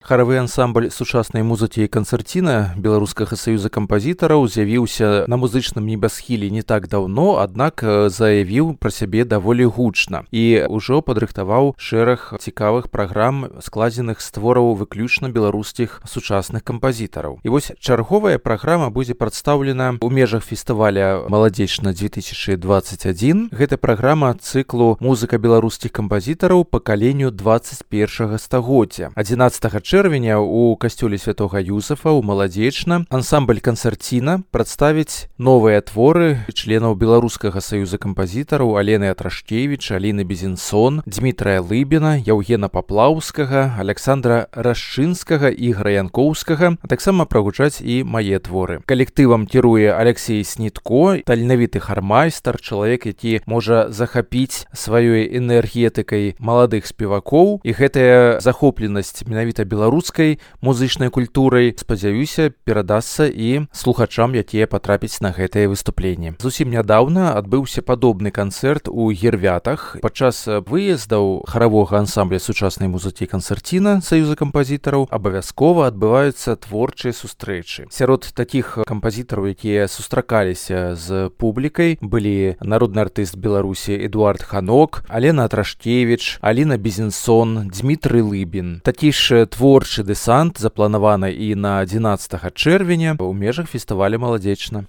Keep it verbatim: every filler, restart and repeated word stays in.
Харавы ансамбль сучаснай музыкі і канцэрціна Беларускага саюза кампазітараў з'явіўся на музычным небасхіле не так даўно, аднак заявіў пра сябе даволі гучна і ўжо падрыхтаваў шэраг цікавых праграм, складзеных з твораў выключна беларускіх сучасных кампазітараў. І вось чарговая праграма будзе прадстаўлена ў межах фестываля «Маладзечна две тысячи двадцать один». Гэта праграма цыклу «Музыка беларускіх кампазітараў пакаленню двадцать першага стагоддзя». адзінаццатага чэрвеня у касцёле святога Юзафа ў Маладзечна ансамбль канцэрціна прадставіць новыя творы членаў Беларускага саюза кампазітараў Алены Атрашкевіч, Аліны Безенсон, Дмітрая Лыбіна, Яўгена Паплаўскага, Александра Расчынскага, Ігора Янкоўскага, а таксама прагучаць і мае творы. Калектывам кіруе Алексей Снітко, таленавіты хармайстар, чалавек, які можа захапіць сваёй энергетыкай маладых спевакоў, і гэтая захопленасць менавіта беларускай музычнай культурай, спадзяюся, перадасца і слухачам, якія патрапяць на гэтае выступленне. Зусім нядаўна адбыўся падобны канцэрт у Гервятах. Падчас выездаў харавога ансамбля сучаснай музыкі канцэрціна Саюза кампазітараў абавязкова адбываюцца творчыя сустрэчы. Сярод такіх кампазітараў, якія сустракаліся з публікай, былі народны артыст Беларусі Эдуард Ханок, Алена Атрашкевіч, Аліна Безенсон, Дмітрый Лыбін. Такі ж творчы дэсант запланаваны і на адзінаццатага чэрвеня ў межах фестываля «Маладзечна».